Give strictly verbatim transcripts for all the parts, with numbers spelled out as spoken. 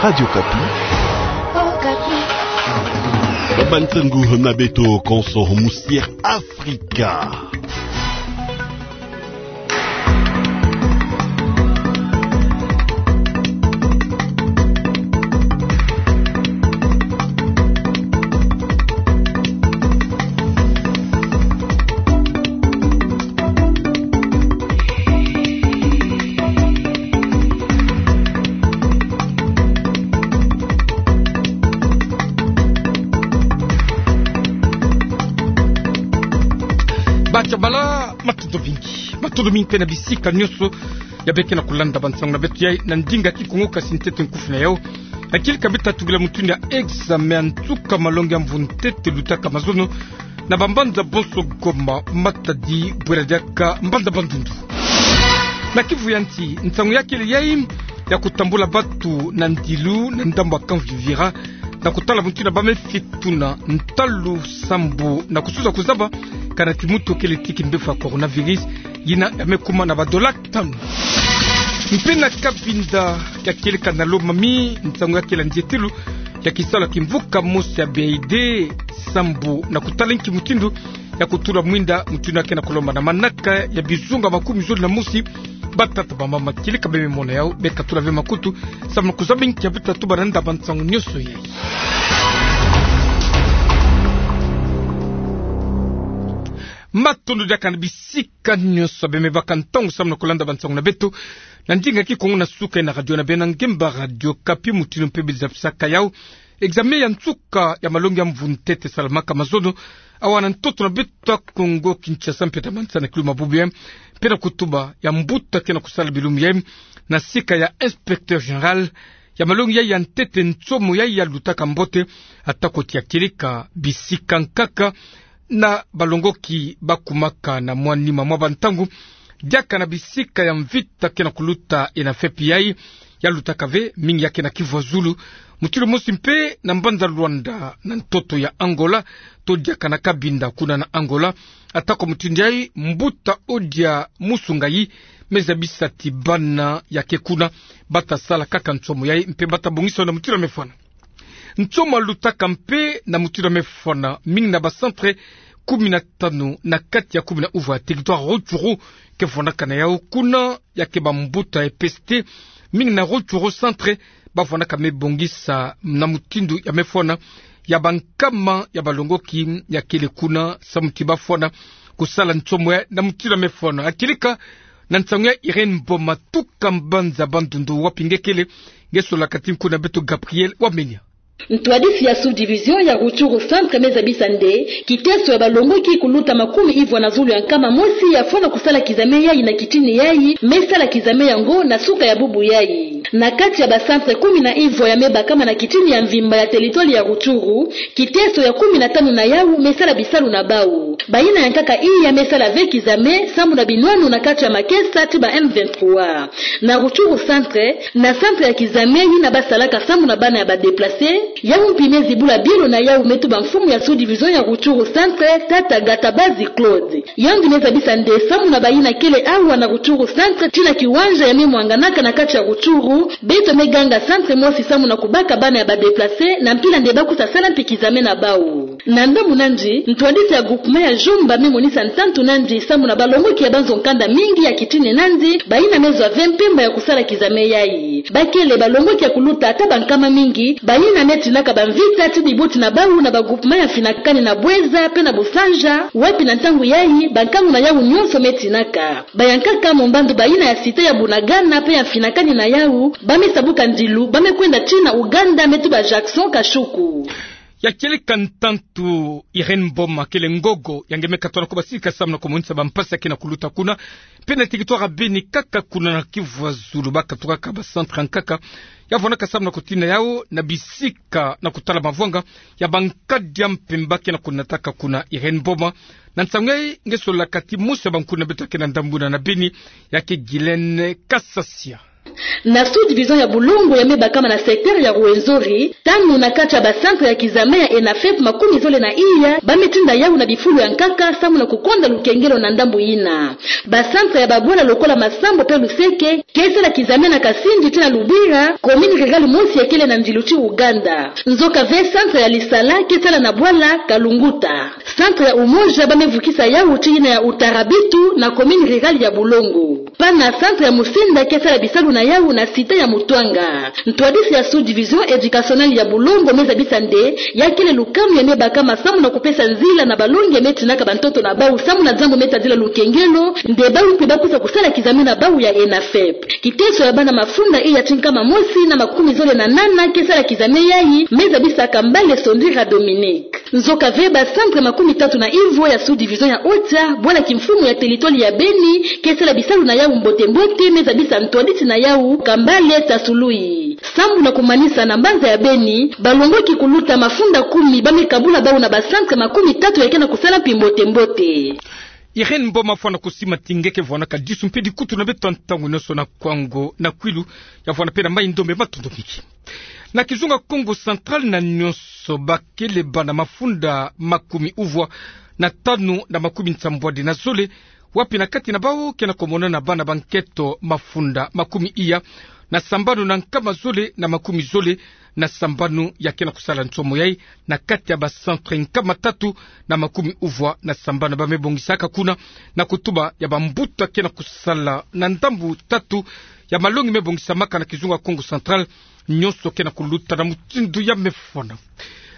Radio Okapi. Okapi. Ba bantangu na beto konso musier Afrika. Bacabala, matondo mingi. Matondo mingi mpe na bisika nyonso ya beke na kulanda bansangu na beto yai na ndinga kikongo, kasi ntete nkufi na yau. Akili ka beta tugila mutindu ya examen ya nsuka malongi ya mvu ntete lutaka mazono na bambanza bonso Goma, Matadi, Bwera Diaka, mbanza Bandundu. Na Kivu ya nsi, nsangu ya kele yai ya kutambula batu na ndilu na ndambu ya Camp Vivira, na kutala mutindu ya ba me fituna ntalu sambu na kusuza kuzaba kana kimuto kele tiki mbevo ya coronavirus, yina ya me kuma na ba dola tanu. Mpe na Cabinda ya kieleka na Lomami, nsangu ya kele nzietilu ya kisalu ya kimvuka mosi ya B I D, sambu na kutala inki mutindu ya kutula mwinda, mutindu ya ke na kulomba na manaka ya bizunga makumi zole na mosi. Batata, bamama, kieleka be me mona yau, beka tula ve makutu, sambu na kuzaba inki ya beta tuba na nda bansangu nyonso yai. Matondo diaka na bisika nyonso be me baka ntangu sambu na kulanda bansangu na beto na ndinga kikongo na suka na radio na beno ya ngemba, Radio Okapi, mutindu mpe beza pisaka yau. Examen ya nsuka ya malongi ya mvu ntete salamaka mazono awa na ntoto na beto ya Kongo Kinshasa, mpe ta mansa na kilu mabubu yai, mpe na kutuba ya mbuta ke na kusala bilumbu yai na sika ya inspecteur général ya malongi yai ya ntete, nsomo yai ya lutaka mbote, atako ti ya kieleka bisika nkaka na balongoki bakumaka na mwa nima mwa bantangu, diaka na bisika ya mvita ke na kuluta, e na fepi yai ya lutaka ve mingi ya ke na Kivu ya Zulu, mutindu mosi mpe na mbanza Luanda na ntoto ya Angola, to diaka na Cabinda kuna na Angola. Atako mutindu yai, mbuta Odia Musungayi me zabisa ti bana ya ke kuna bata sala kaka nsomo yai mpe bata bongisa na mutindu ya me fwana. Nsomo ya lutaka mpe na mutindu ya me fwana mingi na ba centre kumi na tanu na kati ya kumi na uvwa ya territoire Rutshuru ke fwanaka na yau kuna, ya ke bambuta ya E P S T mingi na Rutshuru centre ba fwanaka me bongisa na mutindu ya me fwana ya bankama ya balongoki ya kele kuna, samu ti ba fwana kusala nsomo yai na mutindu ya me fwana. Akilika na nsangu ya Irène Mboma tuka mbanza Bandundu, wapi nge kele? Nge sola kati nku na beto Gabriel Wamenya. Ntwadisi ya sous-division ya Rutshuru centre me zabisa nde kiteso ya balongoki kuluta makumi ivwa na zulu ya nkama mosi ya fwana kusala kizame yai na kitini yai, me sala kizame yango na suka ya bubu yai. Na kati ya ba centre kumi na ivwa ya me bakama na kitini ya mvimba ya territoire ya Rutshuru, kiteso ya kumi na tanu na yau me sala bisalu na bau. Bayina ya nkaka iya me sala ve kizame sambu na binwanu na kati ya makesa ti ba M vingt-trois. Na Rutshuru centre, na centre ya kizame yina ba salaka sambu na bana ya ba déplacés, yau mpi me zibula bielo na yau, me tuba mfumu ya sous-division ya Rutshuru centre, tata Gatabazi Claude. Yandi me zabisa nde sambu na bayina kele awa na Rutshuru centre, tina kiwanja ya me mwanganaka na kati ya Rutshuru, beto me ganga centre mosi sambu na kubaka bana ya ba déplacés na mpila nde ba kusa sala mpi kizame na bau. Na ndambu nandi, ntwadisi ya groupement ya Jomba me monisa ntantu nandi sambu na balongoki ya banzo nkanda mingi ya kitini nandi, bayina me zwa ve mpemba ya kusala kizame yai. Ba kele balongoki ya kuluta ata bankama mingi, bayina me tinaka bamvita ti bibuti na bau na ba groupement ya mfinakani na Bouenza mpe na Boussandja, wapi na ntangu yai, bankangu na yau nyonso me tinaka. Ba ya nkaka mombando bayina ya cité ya Bunagana mpe ya mfinakani na yau, ba me sabuka ndilu, ba me kwenda tina Ouganda, me tuba Jackson Kashuku. Ya kieleka ntantu Irène Mboma, kele ngogo ya nge me katuka na kubasika sambu na kumonisa bampasi ya ke na kuluta kuna. Mpe na territoire ya Beni kaka, kuna na Kivu ya Zulu, ba katukaka ba centre ya nkaka ya fwanaka sambu na kutina yau na bisika na kutala mavwanga ya bankadi ya mpemba ke na kunataka kuna. Irène Mboma, na nsangu yai nge sola kati mosi ya bankuna beto ya ke na ndambu yina na Beni, ya ke Guylaine Kasasia. Na sous-division ya Bulongo ya me bakama na secteur ya Rwenzori, tanu na kati ya ba centre ya kizame ya ENAFEP makumi zole na iya ba me tinda yawu na bifulu ya nkaka samu na kukonda lukengelo na ndambu yina. Ba centre ya babwala lokola Masambo pe Luseke ke sala kizame na Kasindi tii na Lubwira, commune rurale mosi ya kele na ndilu ti Ouganda. Nzoka ve centre ya Lisala ke sala na bwala Kalunguta. Centre ya Umoja ba me vukisa yawu tii yina ya Utarabitu na commune rurale ya Bulongo. Pana centre ya Musinda ke sala bisalu na yawu na cité ya Mutwanga. Ntwadisi ya sous-division éducationnelle ya Bulongo me zabisa nde ya kele lukamu ya me bakama samu na kupesa nzila na balongi ya me tinaka bantoto na bawu samu na diambu me tadila lukengelo, nde bawu mpe ba kwiza kusala kizame na bawu ya ENAFEP. Kiteso ya bana mafunda iya ti nkama mosi na makumi zole na nana ke sala kizame yayi me zabisa Kambale Sondira Dominique. Nzoka ve ba centre makumi tatu na ivo ya sous-division ya Ocha, bwala kimfumu ya territoire ya Beni, ke sala bisalu na yawu mbote-mbote, me zabisa ntwadisi na yawu Kambale Tasului. Sambu na kumanisa na mbanza ya Beni, balongoki kuluta mafunda kumi ba me kabula bawu na ba centre makumi tatu ya ke na kusala mpi mbote-mbote. Irène Mboma, fwana kusima ti nge ke vwanaka disu mpe dikutu na beto ntangu nyonso na Kwango na Kwilu, ya vwana mpe na Mai-Ndombe, matondo mingi. Na kizunga Kongo Central, na nyonso ba kele bana mafunda makumi uvwa na tanu na makumi nsambwadi na zole, wapi na kati na bawu ke na kumona na bana ba nketo mafunda makumi iya na sambanu na nkama zole na makumi zole na sambanu ya ke na kusala nsomo yayi na kati ya ba centre nkama tatu na makumi uvwa na sambanu ba me bongisaka kuna, na kutuba ya bambuta ke na kusala na ndambu tatu ya malongi me bongisamaka na kizunga Kongo Central, nyonso ke na kuluta na mutindu ya me fwana.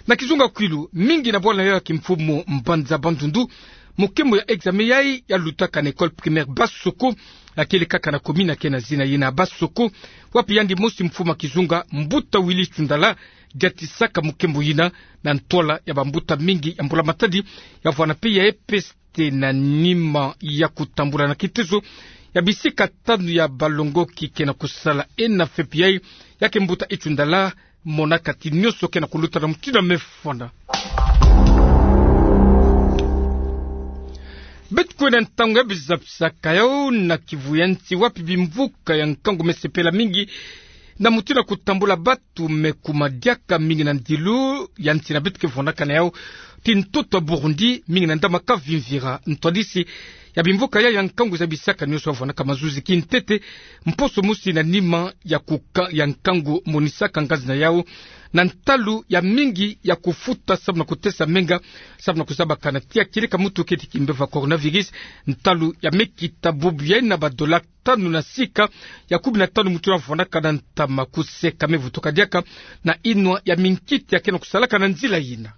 Na kizunga Kwilu, mingi na bwala ya kimfumu mbanza Bandundu, mukembo ya examen yayi ya lutaka na école primaire Basoko, ya kele kaka na commune ya ke na zina yina Basoko, wapi yandi mosi mfumu ya kizunga, mbuta Willy Tshundala, diatisaka mukembo yina na ntwala ya bambuta mingi ya mbula-matadi, ya vwana mpe ya E P S te na nima ya kutambula na kitezo ya bisika tanu ya balongoki ke na kusala ENAFEP yayi, ya ke mbuta Tshundala monaka ti nyonso ke na kuluta na mutindu ya me fwana. Beto kwenda ntangu ya bizapisaka yawu na Kivu ya nsi, wapi bimvuka ya nkangu me sepela mingi na mutindu ya kutambula batu me kuma diaka mingi na ndilu ya nsi na beto ke vwanaka na yawu ti ntoto ya Burundi, mingi na ndama Kavimvira. Ntwadisi ya bimvuka yayi ya nkangu zabisaka nyonso ya vwanaka mazuzi kintete, mposo mosi na nima ya kuka-, ya nkangu, monisaka ngazi na yawu na ntalu ya mingi ya kufuta samu na kutesa menga, samu na kuzabakana ti ya kieleka mutu keti kimbeva coronavirus, ntalu ya me kita bubu yayi na ba dollars tanu na sika ya kumi na tanu mutu na vwanaka na ntama kuseka me vutuka diaka na inwa ya minkiti ya ke na kusalaka na nzila yina.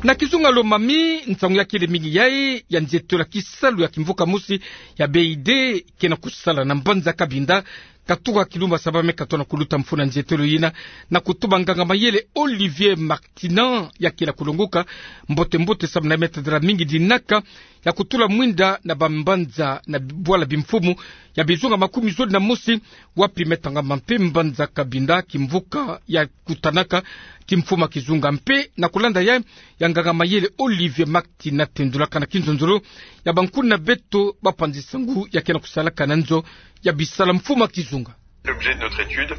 Na kizunga Lomami, nsangu ya kele mingi yayi ya nzietolo ya kisalu ya kimvuka mosi ya B I D ke na kusala na mbanza Cabinda, katuka kilumbu saba me katoto na kuluta mfunu ya nzietolo yina, na kutuba nganga-mayele Olivier Martinan ya ke na kulonguka mbote-mbote samu na me tadila mingi dinaka ya kutula mwinda na bambanza na bwala bimfumu ya bizunga makumi zole na mosi, wapi me tangama mpe mbanza Cabinda, kimvuka ya kutanaka kimfumu ya kizunga. Mpe na kulanda yayi ya nganga-mayele Olivier Martinan tendulaka na kinzonzolo ya bankuni na beto bapanzi-nsangu ya ke na kusalaka na nzo ya bisalu mfumu ya kizunga.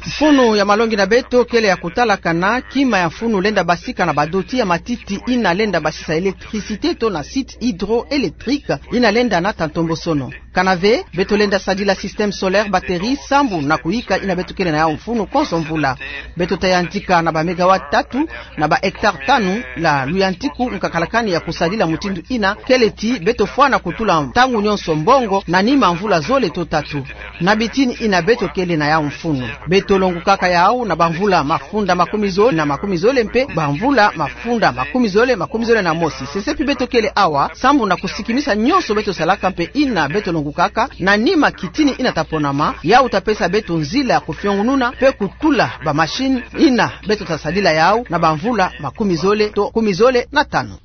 Mfunu ya malongi na beto kele ya kutalakana kima ya mfunu lenda basika na badoti ya matiti ina lenda basisa électricité to na site hydroélectrique ina lenda nata ntombosono. Kana ve, beto lenda sadila système solaire batterie sambu na kuyika ina beto kele na yawu mfunu konso mvula. Beto ta yantika na ba mégawatts tatu na ba hectares tanu na luyantiku nkakalakani ya kusadila mutindu ina kele ti beto fwana kutula ntangu nyonso mbongo na nima mvula zole to tatu. Na bitini ina beto kele na yawu mfunu, beto longukaka yawu na bamvula mafunda makumi zole na makumi zole mpe bamvula mafunda makumi zole, makumi zole na mosi. Sesepi beto kele awa sambu na kusikimisa nyonso beto salaka mpe ina beto longukaka na nima kitini ina ta ponama, yawu ta pesa beto nzila ya kufiongununa mpe kutula ba machine ina beto ta sadila yawu na bamvula makumi zole to kumi zole na tanu.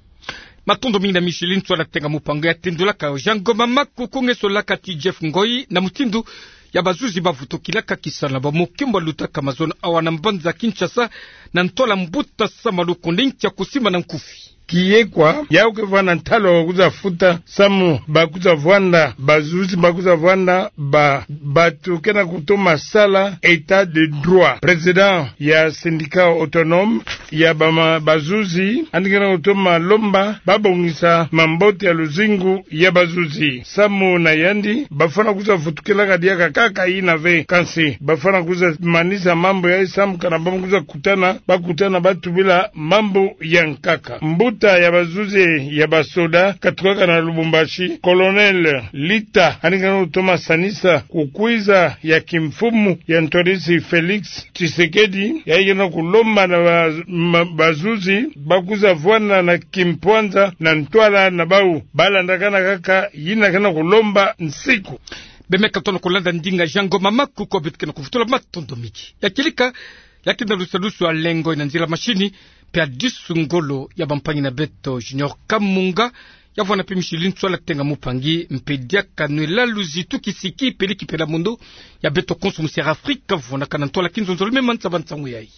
Matondo mingi na Micheline Tswana Tenga Mupanga ya tendulaka yawu. Jean Ngoma Maku, kungesolaka ti Jeff Ngoy na mutindu ya bazuzi bavutukilaka kisalu na bamokembo lutaka mazono awa na mbanza Kinshasa na ntwala mbuta Sama Lukonde nkia kusimba na nkufi. kiye kwa, yau ke vwanda ntalu ya kwiza futa samu ba kwiza vwanda, bazuzi ba kwiza vwanda, ba, bato ke na kutoma sala état de droit. Président ya syndicat autonome ya bama-, bazuzi, yandi ke na kutoma lomba babongisa mambote ya luzingu ya bazuzi. Samu na yandi, bafwana kwiza vutukelaka diaka kaka yina ve, kansi bafwana kwiza manisa mambu yayi samu kana ba kwiza kutana, bakutana batubila mambu ya nkaka. Mbuta ya bazuzi ya basoda katukaka na Lubumbashi, Colonel Lita, yandi ke na kutoma sanisa kukwiza ya kimfumu ya ntwadisi Félix Tshisekedi, yayi ke na kulomba na ba-, ma-, bazuzi ba kwiza vwanda na kimpwanza na ntwala na bau, balandakana kaka yina ke na kulomba nsiku. Bemeka tono kulanda ndinga Jean Ngoma Makuku, beto ke na kuvutula matondo mingi. Ya kilika, ya kina lusalusu ya lengo ina nzila mashini, mpe adisu ngolo ya bampangi na beto Junior Kamunga, ya vwanda mpe Micheline Nswala Tenga Mupangi, mpe diaka nwela luzitu kisiki pele kipela mondo ya beto konso mu Sierra Afrika, vwandakana ntwala kinzonzolo mema nsaba nsangu yayi.